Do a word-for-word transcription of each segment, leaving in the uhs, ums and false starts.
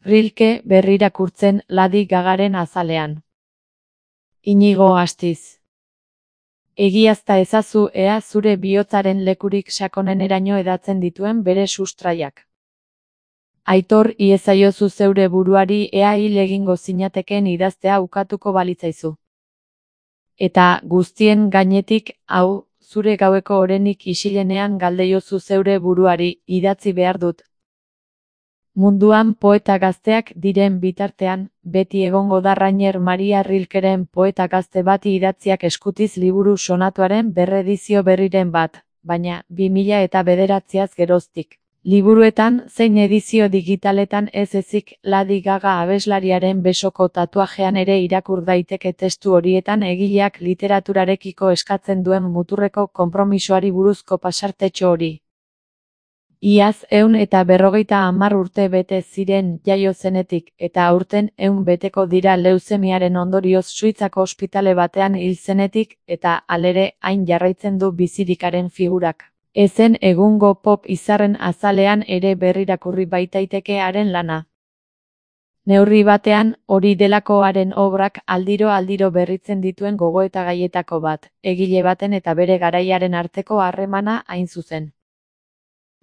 Rilke berrirakurtzen Lady Gagaren azalean. Inigo Astiz. Egiazta ezazu ea zure bihotzaren lekurik sakoneneraino edatzen dituen bere sustraiak. Aitor iezaiozu zeure buruari ea hil egingo zinatekeen idaztea ukatuko balitzaizu. Eta guztien gainetik, hau, zure gaueko orenik isilenean galdeiozu zeure buruari, idatzi behar dut. Munduan poeta gazteak diren bitartean, beti egongo da Rainer Maria Rilkeren poeta gazte bati idatziak eskutiz liburu sonatuaren berredizio berriren bat, baina bi mila eta bederatziaz geroztik. Liburuetan zein edizio digitaletan ez ezik Lady Gaga abeslariaren besoko tatuajean ere irakur daiteke testu horietan egileak literaturarekiko eskatzen duen muturreko konpromisoari buruzko pasartetxo hori. Iaz ehun eta berrogeita hamar urte bete ziren jaio zenetik, eta aurten ehun beteko dira leuzemiaren ondorioz Suitzako ospitale batean hil zenetik, eta halere hain jarraitzen du bizirikaren figurak. Ezen egungo pop izarren azalean ere berrirakurri baitaiteke haren lana. Neurri batean, hori delako haren obrak aldiro-aldiro berritzen dituen gogoetagaietako bat, egile baten eta bere garaiaren arteko harremana hain zuzen.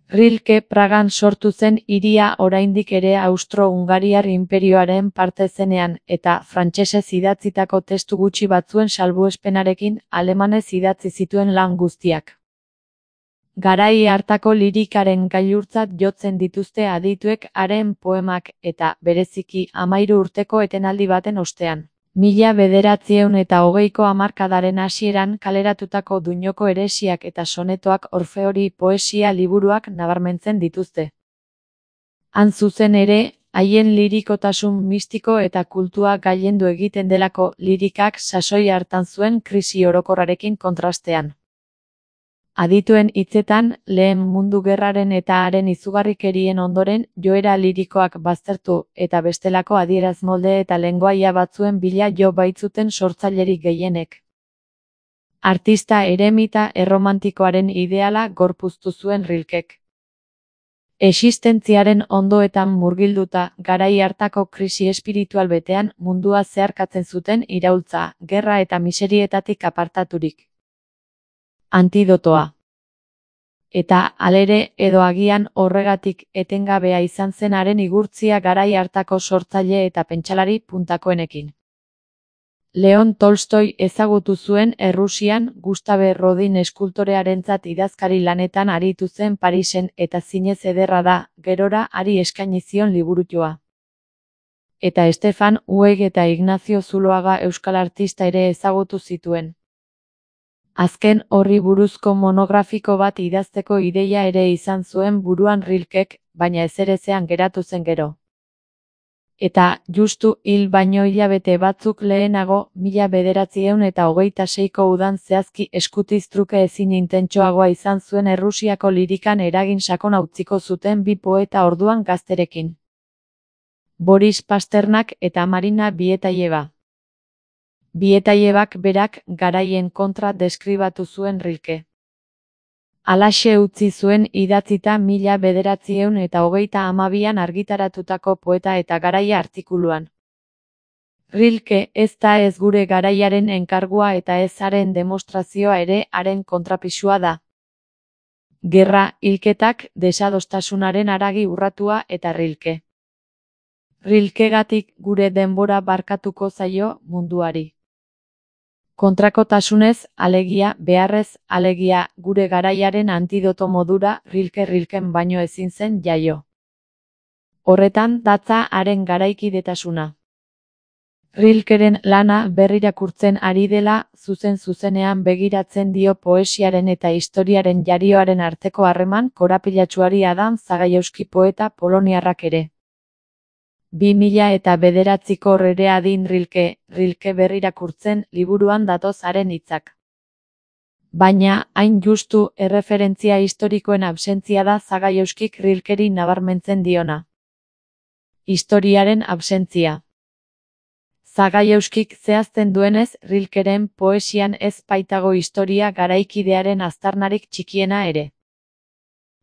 Rilke Pragan sortu zen hiria oraindik ere Austro-Hungariar inperioaren parte zenean, eta frantsesez idatzitako testu gutxi batzuen salbuespenarekin alemanez idatzi zituen lan guztiak. Garai hartako lirikaren gailurtzat jotzen dituzte adituek haren poemak eta, bereziki, hamahiru urteko etenaldi baten ostean. Mila bederatziehun eta hogeiko hamarkadaren hasieran kaleratutako Duñoko eresiak eta sonetoak Orfeori poesia liburuak nabarmentzen dituzte. Han zuzen ere, haien lirikotasun mistiko eta kultua gailendu egiten delako lirikak sasoi hartan zuen krisi orokorrarekin kontrastean. Adituen hitzetan, lehen mundu gerraren eta haren izugarrikerien ondoren joera lirikoak baztertu eta bestelako adierazmolde eta lengoaia batzuen bila jo baitzuten sortzailerik gehienek. Artista eremita erromantikoaren ideala gorpuztu zuen Rilkek. Existentziaren ondoetan murgilduta, garai hartako krisi espiritual betean mundua zeharkatzen zuten iraultza, gerra eta miserietatik apartaturik. Antidotoa. Eta, halere, edo agian horregatik etengabea izan zen haren igurtzia garai hartako sortzaile eta pentsalari puntakoenekin. Leon Tolstoi ezagutu zuen Errusian Gustave Rodin eskultorearentzat idazkari lanetan aritu zen Parisen eta zinez ederra da, gerora hari eskaini zion liburutxoa. Eta Stefan Zweig eta Ignacio Zuloaga euskal artista ere ezagutu zituen. Azken horri buruzko monografiko bat idazteko ideia ere izan zuen buruan Rilkek, baina ezerezean geratu zen gero. Eta, justu hil baino hilabete batzuk lehenago, mila bederatziehun eta hogeita seiko udan zehazki eskutiz truke ezin intentsoagoa izan zuen Errusiako lirikan eragin sakona utziko zuten bi poeta orduan gazterekin. Boris Pasternak eta Marina Bietayeva. Bietayebak berak garaien kontra deskribatu zuen Rilke. Halaxe utzi zuen idatzita mila bederatziehun eta hogeita hamabian argitaratutako poeta eta garaia artikuluan. Rilke ez da ez gure garaiaren enkargua eta ez haren demostrazioa ere haren kontrapisua da. Gerra, hilketak, desadostasunaren haragi urratua eta Rilke. Rilkegatik gure denbora barkatuko zaio munduari. Kontrakotasunez, alegia, beharrez, alegia, gure garaiaren antidoto modura Rilke Rilken baino ezin zen jaio. Horretan datza haren garaikidetasuna. Rilkeren lana berrirakurtzen ari dela, zuzen-zuzenean begiratzen dio poesiaren eta historiaren jarioaren arteko harreman korapilatsuari Adam Zagajewski poeta poloniarrak ere. Bi mila eta bederatziko Rere adin Rilke, Rilke berrirakurtzen liburuan datoz haren hitzak. Baina, hain justu, erreferentzia historikoen absentzia da Zagajewskik Rilkeri nabarmentzen diona. Historiaren absentzia. Zagajewskik zehazten duenez, Rilkeren poesian ez baitago historia garaikidearen aztarnarik txikiena ere.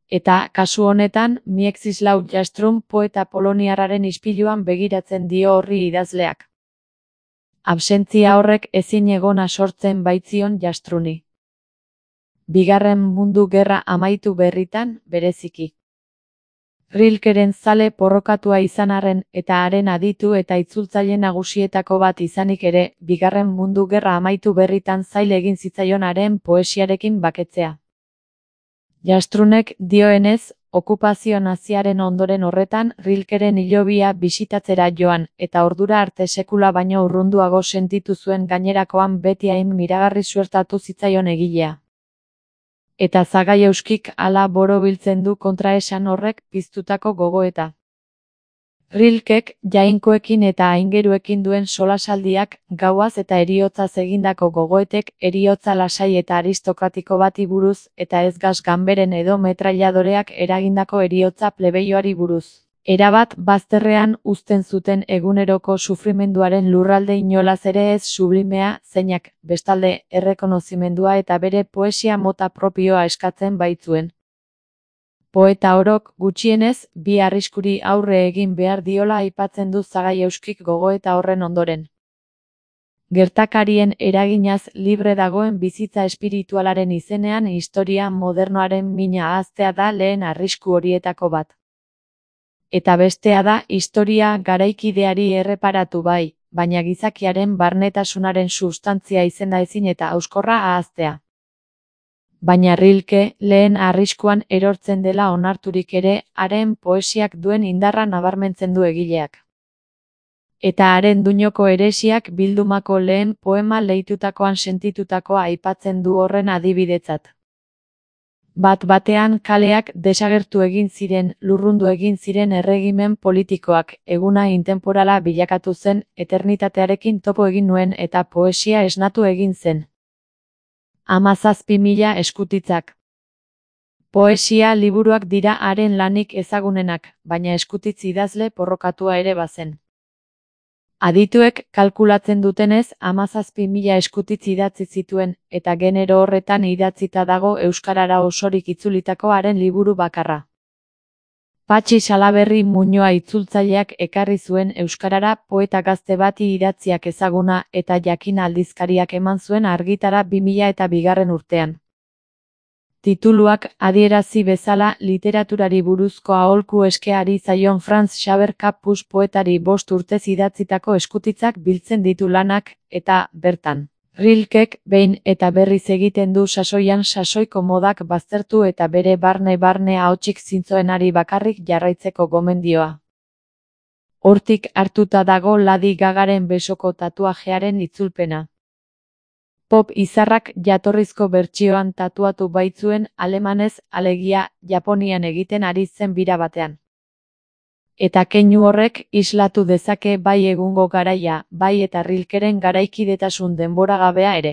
Eta, kasu honetan, Mieczysław Jastrun poeta poloniarraren ispiluan begiratzen dio horri idazleak. Absentzia horrek ezin egona sortzen baitzion Jastruni. Bigarren Mundu Gerra amaitu berritan, bereziki. Rilkeren zale porrokatua izan arren eta haren aditu eta itzultzaile nagusietako bat izanik ere, Bigarren Mundu Gerra amaitu berritan zail egin zitzaion haren poesiarekin baketzea. Jastrunek dioenez, okupazio naziaren ondoren horretan Rilkeren hilobia bisitatzera joan, eta ordura arte sekula baino urrunduago sentitu zuen gainerakoan beti hain miragarri suertatu zitzaion egilea. Eta Zagaieuskik hala borobiltzen du kontraesan horrek piztutako gogoeta. Rilkek jainkoekin eta aingeruekin duen solasaldiak, gauaz eta heriotzaz egindako gogoetek heriotza lasai eta aristokratiko bati buruz eta ez gas ganberen edo metrailadoreak eragindako heriotza plebeioari buruz. Erabat bazterrean uzten zuten eguneroko sufrimenduaren lurralde inolaz ere ez sublimea, zeinak, bestalde, errekonozimendua eta bere poesia mota propioa eskatzen baitzuen. Poeta orok, gutxienez, bi arriskuri aurre egin behar diola aipatzen du Zagaieuskik gogoeta horren ondoren. Gertakarien eraginaz libre dagoen bizitza espiritualaren izenean historia modernoaren mina ahaztea da lehen arrisku horietako bat. Eta bestea da historia garaikideari erreparatu bai, baina gizakiaren barnetasunaren sustantzia izenda ezin eta hauskorra ahaztea. Baina Rilke lehen arriskuan erortzen dela onarturik ere, haren poesiak duen indarra nabarmentzen du egileak. Eta haren duinoko heresiak bildumako lehen poema lehitutakoan sentitutakoa aipatzen du horren adibidetzat. Bat batean kaleak desagertu egin ziren, lurrundu egin ziren erregimen politikoak, eguna intemporala bilakatu zen, eternitatearekin topo egin nuen eta poesia esnatu egin zen. Hamazazpi mila eskutitzak. Poesia liburuak dira haren lanik ezagunenak, baina eskutitz idazle porrokatua ere bazen. Adituek kalkulatzen dutenez hamazazpi mila eskutitz idatzi zituen, eta genero horretan idatzita dago euskarara osorik itzulitako haren liburu bakarra. Patxi Salaberri Muñoa itzultzaileak ekarri zuen euskarara poeta gazte bati idatziak ezaguna eta jakin aldizkariak eman zuen argitara bi mila eta bigarren urtean. Tituluak adierazi bezala literaturari buruzko aholku eskeari zaion Franz Xaver Capus poetari bost urtez idatzitako eskutitzak biltzen ditu lanak, eta, bertan, Rilkek behin eta berriz egiten du sasoian sasoiko modak baztertu eta bere barne-barne ahotsik zintzoenari bakarrik jarraitzeko gomendioa. Hortik hartuta dago Lady Gagaren besoko tatuajearen itzulpena. Pop izarrak jatorrizko bertsioan tatuatu baitzuen alemanez, alegia, Japonian egiten ari zen bira batean. Eta keinu horrek islatu dezake bai egungo garaia, bai eta Rilkeren garaikidetasun denboragabea ere.